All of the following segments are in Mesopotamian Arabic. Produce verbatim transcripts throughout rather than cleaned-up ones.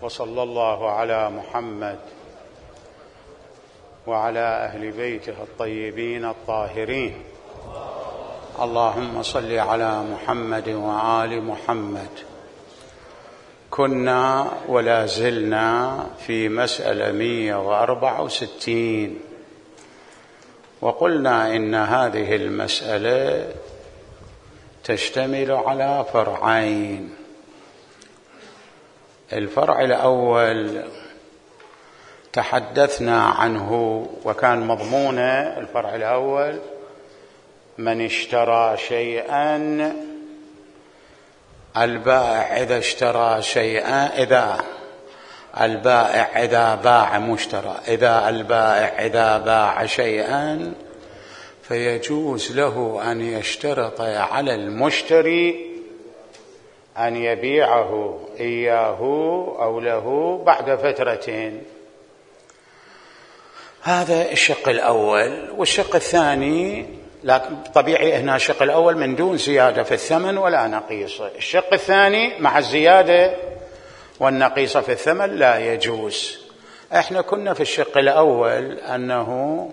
وصلى الله على محمد وعلى أهل بيته الطيبين الطاهرين. اللهم صل على محمد وآل محمد. كنا ولا زلنا في مسألة مئة وأربعة وستين، وقلنا إن هذه المسألة تشتمل على فرعين. الفرع الأول تحدثنا عنه وكان مضمونه الفرع الأول: من اشترى شيئا، البائع إذا اشترى شيئا، إذا البائع إذا باع مشترى إذا البائع إذا باع شيئا فيجوز له أن يشترط على المشتري أن يبيعه إياه أو له بعد فترة. هذا الشق الأول. والشق الثاني، لكن طبيعي هنا الشق الأول من دون زيادة في الثمن ولا نقيصة. الشق الثاني مع الزيادة والنقيصة في الثمن لا يجوز. احنا كنا في الشق الأول أنه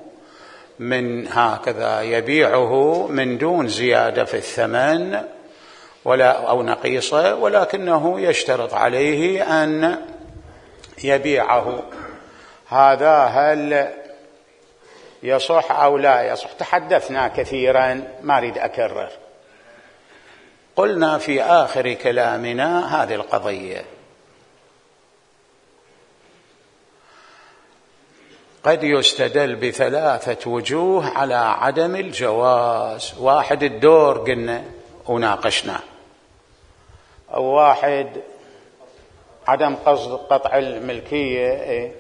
من هكذا يبيعه من دون زيادة في الثمن ولا أو نقيصة، ولكنه يشترط عليه أن يبيعه. هذا هل يصح أو لا يصح؟ تحدثنا كثيرا، ما أريد أكرر. قلنا في آخر كلامنا هذه القضية: قد يستدل بثلاثة وجوه على عدم الجواز. واحد الدور قلنا وناقشنا، أو واحد عدم قصد قطع الملكية،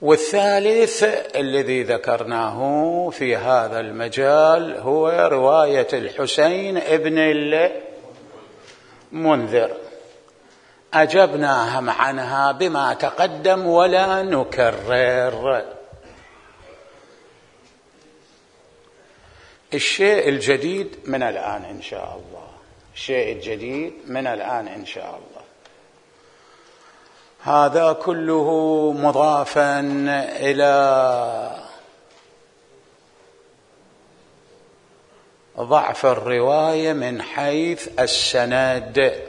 والثالث الذي ذكرناه في هذا المجال هو رواية الحسين ابن المنذر. أجبناهم عنها بما تقدم ولا نكرر. الشيء الجديد من الآن إن شاء الله، الشيء الجديد من الآن إن شاء الله. هذا كله مضافا إلى ضعف الرواية من حيث السند،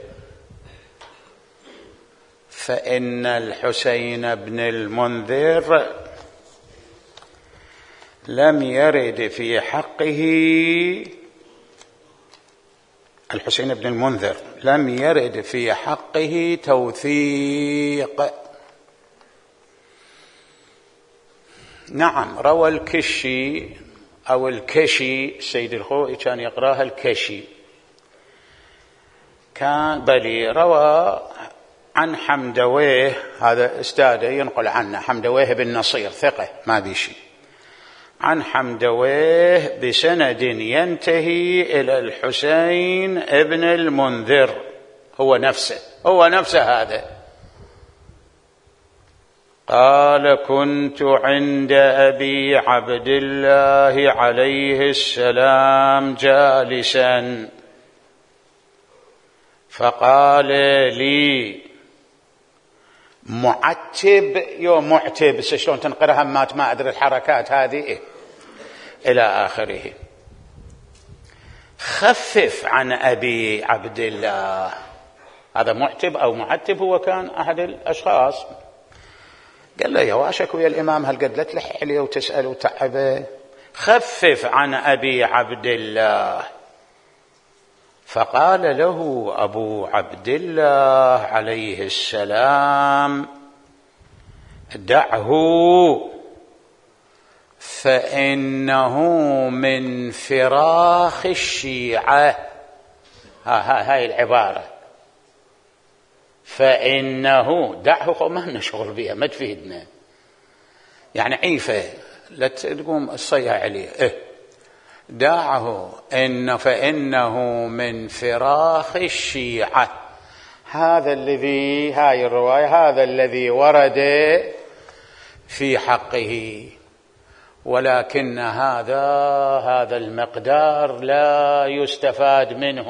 فإن الحسين بن المنذر لم يرد في حقه الحسين بن المنذر لم يرد في حقه توثيق. نعم، روى الكشي أو الكشي، السيد الخوئي كان يقراها الكشي، كان بلي روى عن حمدويه، هذا استاذه ينقل عنه، حمدويه بن نصير ثقة ما بيشي، عن حمدويه بسند ينتهي إلى الحسين ابن المنذر، هو نفسه هو نفسه هذا. قال: كنت عند أبي عبد الله عليه السلام جالسا فقال لي معتب، يوم معتب شلون تنقرها مات ما أدري الحركات هذه إيه؟ إلى آخره. خفف عن أبي عبد الله. هذا معتب أو معتب هو كان أحد الأشخاص. قال له: يا واشك ويا الإمام هل قد لا تلح عليه وتسأل وتعبه؟ خفف عن أبي عبد الله. فقال له أبو عبد الله عليه السلام: دعه فإنه من فراخ الشيعة. ها ها هاي العبارة، فإنه دعه، ما لنا شغل بها، ما تفيدنا، يعني عيفة لا تقوم الصيها عليه. إيه؟ دعه إن فإنه من فراخ الشيعة. هذا الذي هاي الرواية هذا الذي ورد في حقه، ولكن هذا هذا المقدار لا يستفاد منه.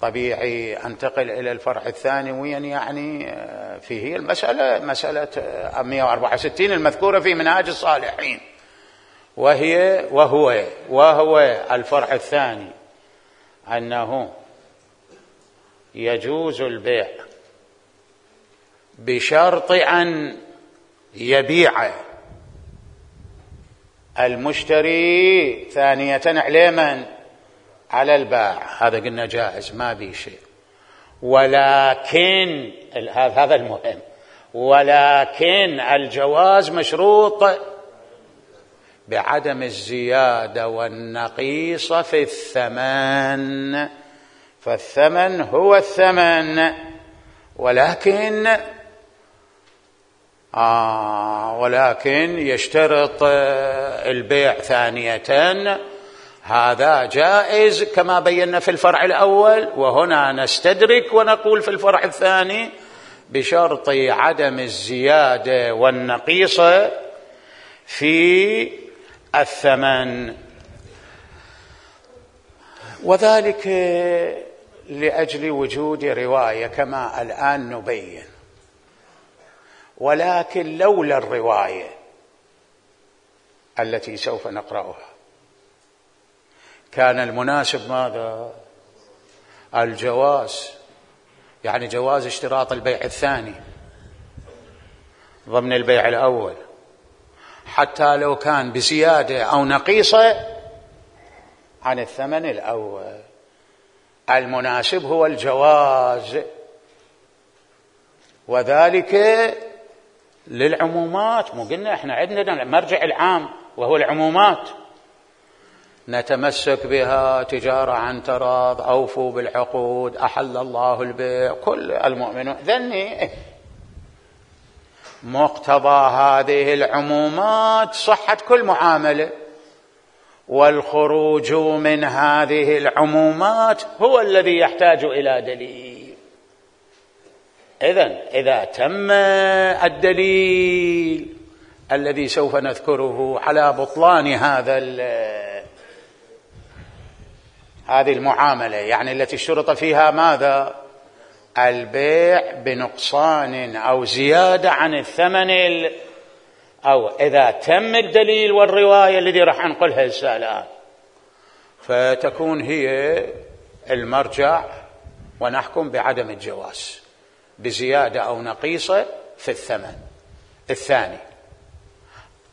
طبيعي أنتقل إلى الفرع الثاني وين يعني فيه المسألة مسألة مئة وأربعة وستين المذكورة في منهاج الصالحين، وهي وهو وهو الفرع الثاني أنه يجوز البيع بشرط أن يبيع المشتري ثانية عليه من على البائع، هذا قلنا جائز ما بي شيء، ولكن هذا المهم، ولكن الجواز مشروط بعدم الزيادة والنقيص في الثمن، فالثمن هو الثمن، ولكن آه ولكن يشترط البيع ثانية، هذا جائز كما بينا في الفرع الأول، وهنا نستدرك ونقول في الفرع الثاني بشرط عدم الزيادة والنقيص في الثمن، وذلك لأجل وجود رواية كما الآن نبين. ولكن لولا الرواية التي سوف نقرأها كان المناسب ماذا؟ الجواز، يعني جواز اشتراط البيع الثاني ضمن البيع الأول حتى لو كان بزيادة أو نقيصة عن الثمن الأول، المناسب هو الجواز، وذلك للعمومات. مو قلنا احنا عندنا المرجع العام وهو العمومات، نتمسك بها، تجارة عن تراض، أوفوا بالعقود، أحل الله البيع، كل المؤمنون ذني. مقتضى هذه العمومات صحة كل معاملة، والخروج من هذه العمومات هو الذي يحتاج إلى دليل. إذن إذا تم الدليل الذي سوف نذكره على بطلان هذا هذه المعاملة، يعني التي اشترط فيها ماذا؟ البيع بنقصان أو زيادة عن الثمن ال... أو إذا تم الدليل والرواية الذي راح نقولها الآن، فتكون هي المرجع ونحكم بعدم الجواز بزيادة أو نقيصة في الثمن الثاني.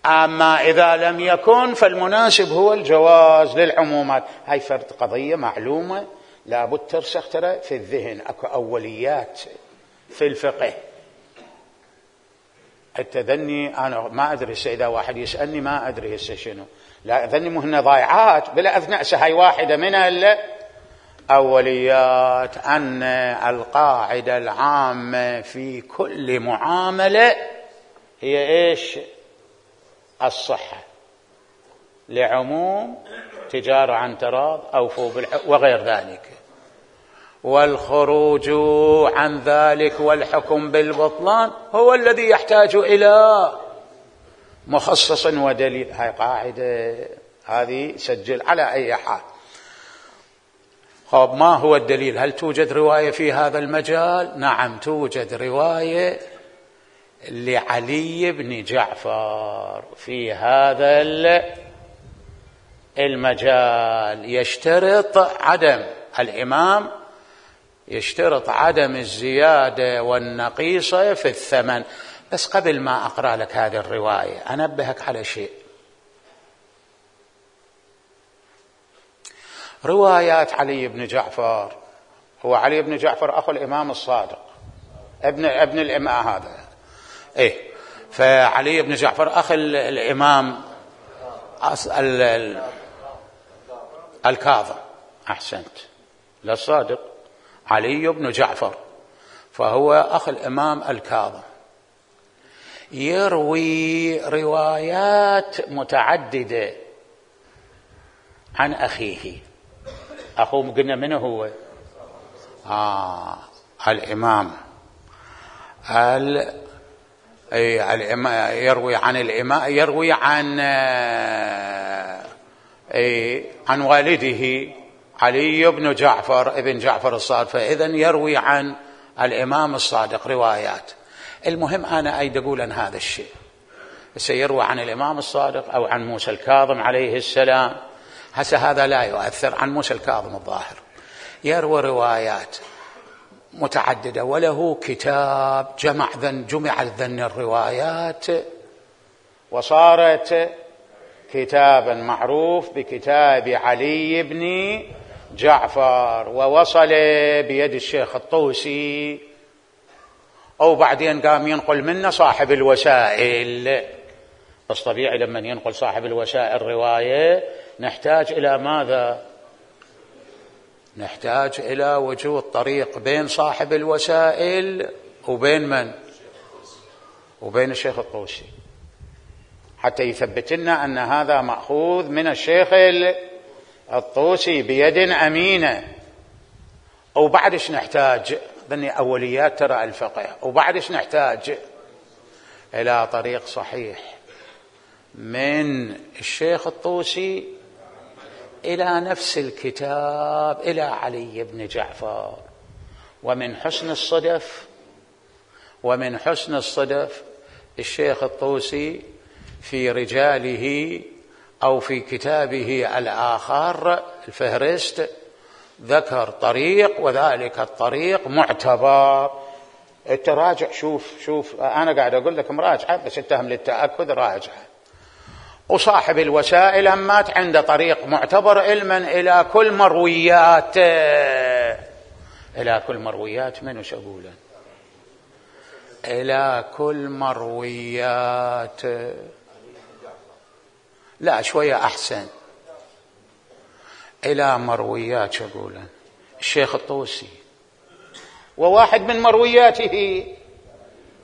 أما إذا لم يكن فالمناسب هو الجواز للعمومات. هاي فرد قضية معلومة لابد ترسخ ترى في الذهن، أكو أوليات في الفقه. التذني أنا ما أدري إذا واحد يسألني ما أدري هسه شنو، لا ذني مهن ضايعات بلا أثناء هاي واحدة من الأوليات، أن القاعدة العامة في كل معاملة هي إيش؟ الصحة، لعموم تجارة عن تراض، أوفوا بالعقود وغير ذلك، والخروج عن ذلك والحكم بالبطلان هو الذي يحتاج إلى مخصص ودليل. هاي قاعدة، هذه سجل على أي حال. طب ما هو الدليل؟ هل توجد رواية في هذا المجال؟ نعم توجد رواية لعلي بن جعفر في هذا المجال، يشترط عدم الإمام يشترط عدم الزيادة والنقيصة في الثمن. بس قبل ما أقرأ لك هذه الرواية أنبهك على شيء. روايات علي بن جعفر، هو علي بن جعفر أخو الإمام الصادق ابن ابن الإمام هذا إيه، فعلي بن جعفر أخ الإمام الكاظم، أحسنت، لا الصادق، علي بن جعفر، فهو أخ الإمام الكاظم، يروي روايات متعددة عن أخيه. أخوه قلنا منه هو آه الإمام ال... أي الإمام يروي عن الإمام يروي عن أي عن والده علي بن جعفر ابن جعفر الصادق، فإذا يروي عن الإمام الصادق روايات. المهم أنا أيد أقول أن هذا الشيء سيروى عن الإمام الصادق أو عن موسى الكاظم عليه السلام. هسه هذا لا يؤثر. عن موسى الكاظم الظاهر يروى روايات متعددة، وله كتاب جمع ذن جمعت ذن الروايات وصارت كتابا معروف بكتاب علي بن جعفر، ووصل بيد الشيخ الطوسي، أو بعدين قام ينقل منه صاحب الوسائل. بس طبيعي لما ينقل صاحب الوسائل رواية نحتاج إلى ماذا؟ نحتاج إلى وجود طريق بين صاحب الوسائل وبين من؟ وبين الشيخ الطوسي، حتى يثبت لنا أن هذا مأخوذ من الشيخ الطوسي بيد أمينة. وبعدش نحتاج ذني أوليات ترى الفقه، وبعدش نحتاج إلى طريق صحيح من الشيخ الطوسي إلى نفس الكتاب إلى علي بن جعفر. ومن حسن الصدف ومن حسن الصدف الشيخ الطوسي في رجاله أو في كتابه الآخر الفهرست ذكر طريق، وذلك الطريق معتبر. التراجع شوف شوف أنا قاعد أقول لك مراجعة بس اتهم للتأكد راجعة. وصاحب الوسائل مات عنده طريق معتبر علما إلى كل مرويات إلى كل مرويات من وش أقوله إلى كل مرويات لا شوية أحسن إلى مرويات شو أقوله الشيخ الطوسي، وواحد من مروياته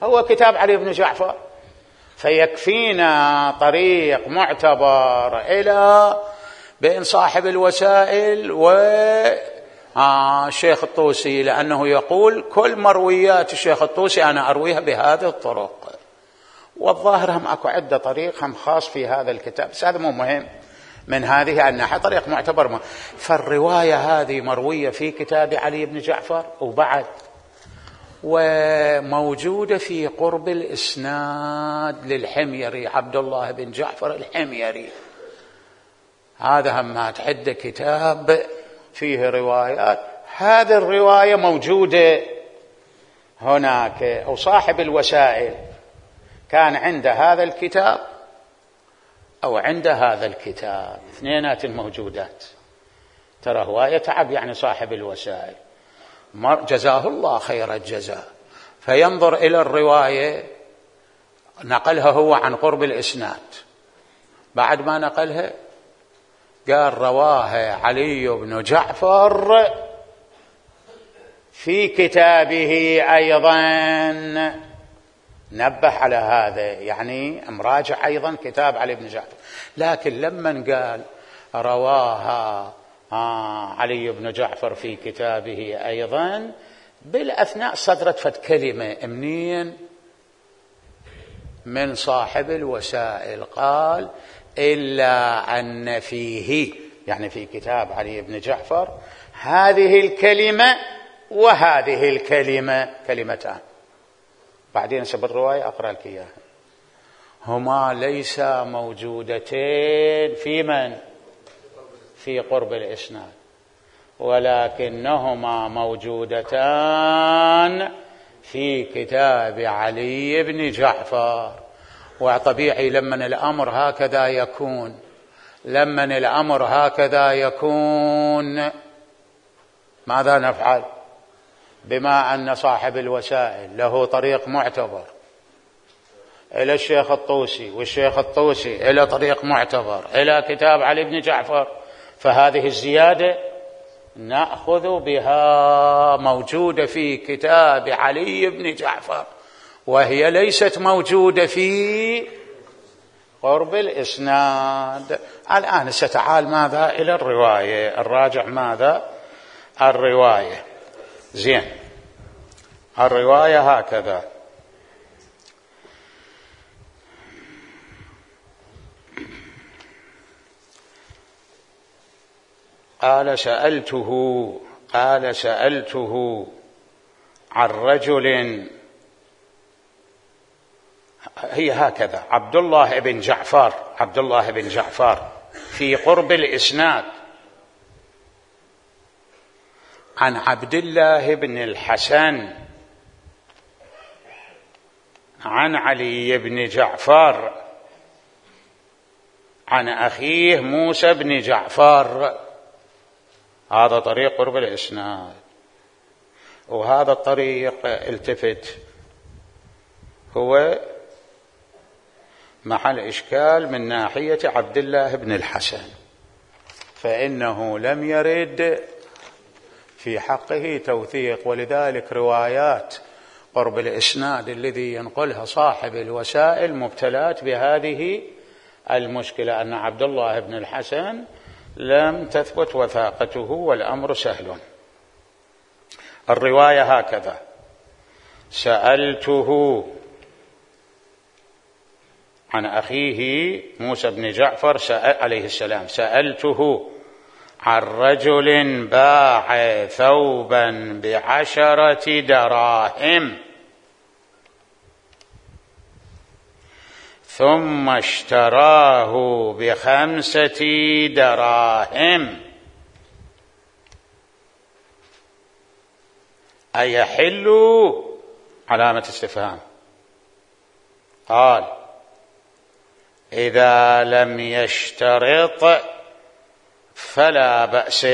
هو كتاب علي بن جعفر. فيكفينا طريق معتبر إلى بين صاحب الوسائل والشيخ الطوسي، لأنه يقول كل مرويات الشيخ الطوسي أنا أرويها بهذه الطرق. والظاهر هم أكو عدة طريق هم خاص في هذا الكتاب، بس هذا مو مهم من هذه الناحية، طريق معتبر ما. فالرواية هذه مروية في كتاب علي بن جعفر وبعد وموجودة في قرب الإسناد للحميري عبد الله بن جعفر الحميري. هذا همات عدة كتاب فيه روايات، هذه الرواية موجودة هناك. وصاحب الوسائل كان عند هذا الكتاب أو عند هذا الكتاب، اثنينات الموجودات. ترى هو يتعب يعني صاحب الوسائل، جزاه الله خير الجزاء، فينظر إلى الرواية نقلها هو عن قرب الإسناد، بعد ما نقلها قال رواها علي بن جعفر في كتابه أيضا، نبه على هذا يعني مراجع أيضا كتاب علي بن جعفر. لكن لما قال رواها آه علي بن جعفر في كتابه أيضا، بالأثناء صدرت فت كلمة منين من صاحب الوسائل، قال إلا أن فيه يعني في كتاب علي بن جعفر هذه الكلمة وهذه الكلمة كلمتان. بعدين سب الرواية أقرأ لك إياها، هما ليس موجودتين في من في قرب الإسناد، ولكنهما موجودتان في كتاب علي بن جعفر. وطبيعي لمن الأمر هكذا يكون لمن الأمر هكذا يكون ماذا نفعل؟ بما أن صاحب الوسائل له طريق معتبر إلى الشيخ الطوسي، والشيخ الطوسي إلى طريق معتبر إلى كتاب علي بن جعفر، فهذه الزيادة نأخذ بها موجودة في كتاب علي بن جعفر، وهي ليست موجودة في قرب الإسناد. الآن ستعال ماذا إلى الرواية، الراجع ماذا الرواية. زين، الرواية هكذا: قال سألته قال سألته عن رجل، هي هكذا، عبد الله بن جعفر عبد الله بن جعفر في قرب الإسناد عن عبد الله بن الحسن عن علي بن جعفر عن أخيه موسى بن جعفر. هذا طريق قرب الإسناد. وهذا الطريق التفت هو محل إشكال من ناحية عبد الله بن الحسن، فإنه لم يرد في حقه توثيق، ولذلك روايات قرب الإسناد الذي ينقلها صاحب الوسائل مبتلات بهذه المشكلة، أن عبد الله بن الحسن لم تثبت وثاقته والأمر سهل. الرواية هكذا: سألته عن أخيه موسى بن جعفر عليه السلام، سألته عن رجل باع ثوبا بعشرة دراهم ثم اشتراه بخمسة دراهم أيحل؟ علامة استفهام. قال: إذا لم يشترط فلا بأس.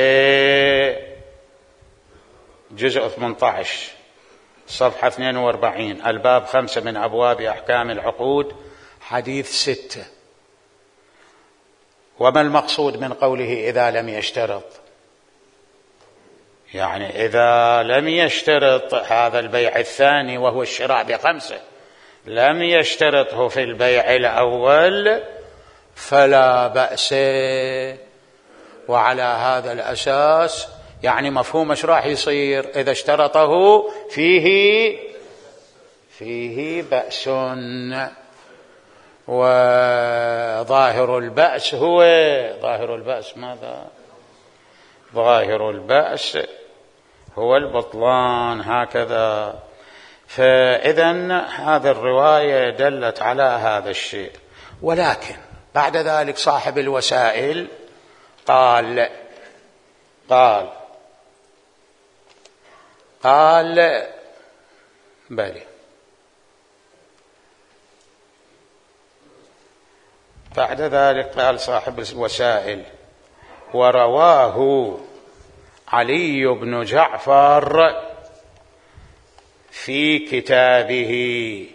جزء ثمانية عشر صفحة اثنين وأربعين، الباب خمسة من أبواب أحكام العقود، حديث ستة. وما المقصود من قوله إذا لم يشترط؟ يعني إذا لم يشترط هذا البيع الثاني وهو الشراء بخمسة، لم يشترطه في البيع الأول فلا بأس. وعلى هذا الأساس يعني مفهوم ايش راح يصير إذا اشترطه؟ فيه فيه بأس. وظاهر البأس هو ظاهر البأس ماذا؟ ظاهر البأس هو البطلان، هكذا. فإذا هذه الرواية دلت على هذا الشيء. ولكن بعد ذلك صاحب الوسائل قال قال قال بلي بعد ذلك قال صاحب الوسائل: ورواه علي بن جعفر في كتابه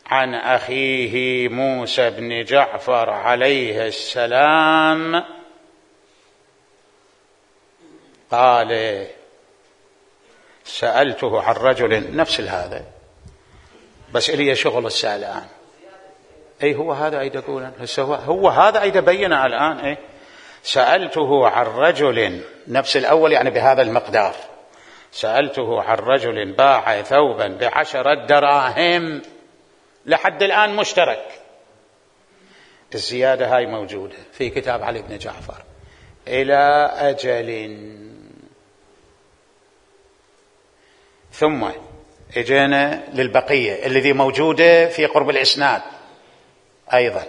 عن أخيه موسى بن جعفر عليه السلام قال: سألته عن رجل، نفس هذا بس إلي شغل السائل الآن. أي هو هذا أيد يقول هو, هو هذا أيد بينا الآن. أي سألته عن رجل، نفس الأول يعني بهذا المقدار. سألته عن رجل باع ثوبا بعشرة دراهم، لحد الآن مشترك. الزيادة هاي موجودة في كتاب علي بن جعفر إلى أجل. ثم اجينا للبقية الذي موجودة في قرب الإسناد أيضا: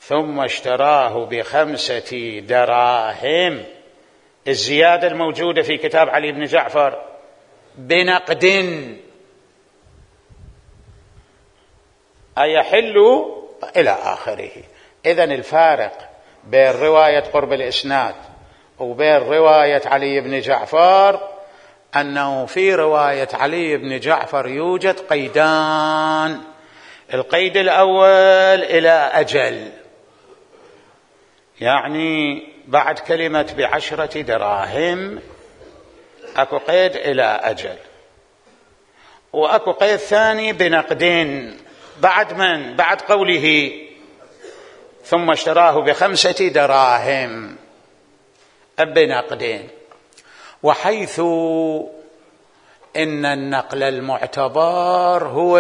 ثم اشتراه بخمسة دراهم. الزيادة الموجودة في كتاب علي بن جعفر بنقد أيحل إلى آخره. إذن الفارق بين رواية قرب الإسناد وبين رواية علي بن جعفر أنه في رواية علي بن جعفر يوجد قيدان. القيد الأول إلى أجل، يعني بعد كلمة بعشرة دراهم أكو قيد إلى أجل، وأكو قيد ثاني بنقدين. بعد من؟ بعد قوله ثم اشتراه بخمسة دراهم بنقدين. وحيث إن النقل المعتبر هو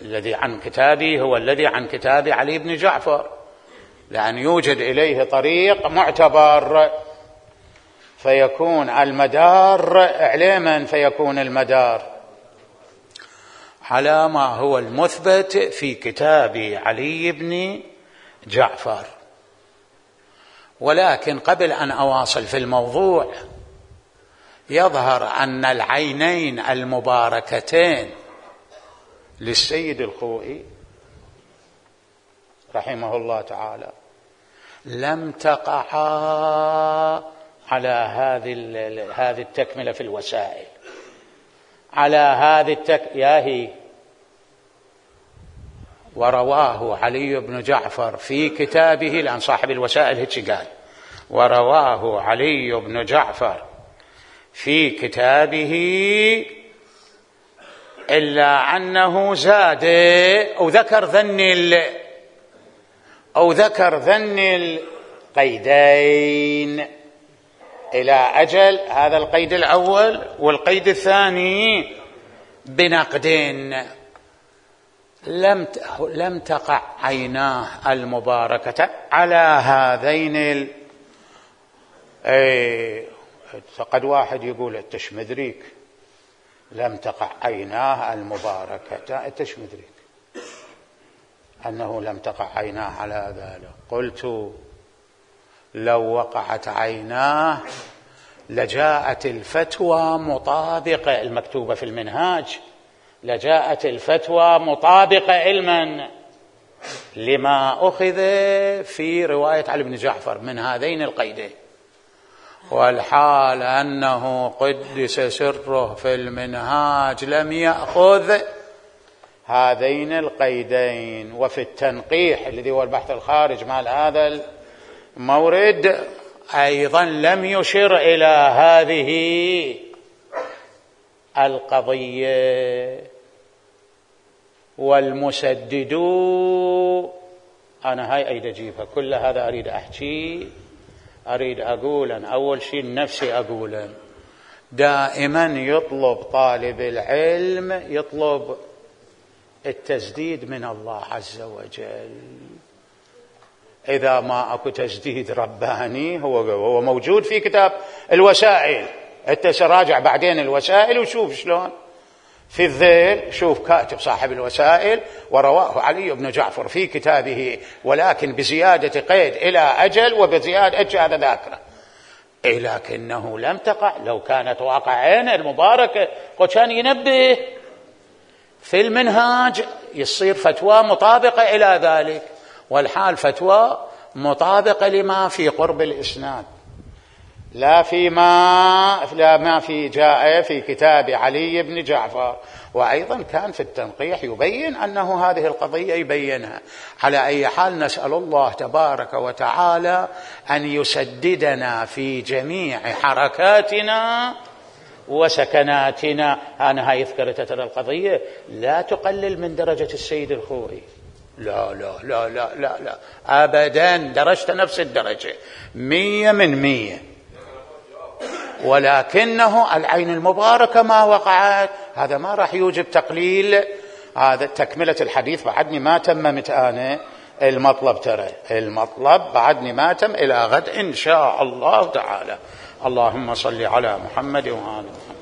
الذي عن كتابي هو الذي عن كتاب علي بن جعفر، لأن يوجد إليه طريق معتبر فيكون المدار إعلاما، فيكون المدار على ما هو المثبت في كتاب علي بن جعفر. ولكن قبل أن أواصل في الموضوع، يظهر أن العينين المباركتين للسيد الخوئي رحمه الله تعالى لم تقعا على هذه هذه التكملة في الوسائل، على هذه التك... ياهي ورواه علي بن جعفر في كتابه، لأن صاحب الوسائل هيك قال، ورواه علي بن جعفر في كتابه إلا أنه زاد أو ذكر ذن أو ذكر ذن القيدين إلى أجل، هذا القيد الأول، والقيد الثاني بنقدين. لم لم تقع عيناه المباركة على هذين ال... اي قد واحد يقول التشمذريك لم تقع عيناه المباركة، التشمذريك أنه لم تقع عيناه على ذلك. قلت لو وقعت عيناه لجاءت الفتوى مطابقة، المكتوبة في المنهاج، لجاءت الفتوى مطابقة علما لما أخذ في رواية علي بن جعفر من هذين القيدين، والحال أنه قدس سره في المنهاج لم يأخذ هذين القيدين. وفي التنقيح الذي هو البحث الخارج مال هذا المورد أيضا لم يشر إلى هذه القضية. والمسدد أنا هاي أريد أجيبها، كل هذا أريد أحكي، أريد أقولا. أول شيء نفسي أقولا، دائما يطلب طالب العلم يطلب التسديد من الله عز وجل. إذا ما أكو تسديد رباني هو هو موجود في كتاب الوسائل، أنت سراجع بعدين الوسائل وشوف شلون في الذيل، شوف كاتب صاحب الوسائل ورواه علي بن جعفر في كتابه، ولكن بزيادة قيد إلى أجل وبزيادة أجل هذا ذاكرة. إيه لكنه لم تقع، لو كانت واقعين المباركة وكان ينبه في المنهاج يصير فتوى مطابقة إلى ذلك، والحال فتوى مطابقة لما في قرب الإسناد، لا فيما لا ما في جاء في كتاب علي بن جعفر. وأيضا كان في التنقيح يبين أنه هذه القضية يبينها. على أي حال نسأل الله تبارك وتعالى أن يسددنا في جميع حركاتنا وسكناتنا. أنا هاي ذكرت ترى القضية لا تقلل من درجة السيد الخوئي، لا لا لا لا لا لا أبدا، درجت نفس الدرجة مية من مية، ولكنه العين المباركة ما وقعت. هذا ما راح يوجب تقليل، هذا تكملة الحديث بعدني ما تممت أنا المطلب، ترى المطلب بعدني ما تم، إلى غد إن شاء الله تعالى. اللهم صل على محمد وآل محمد.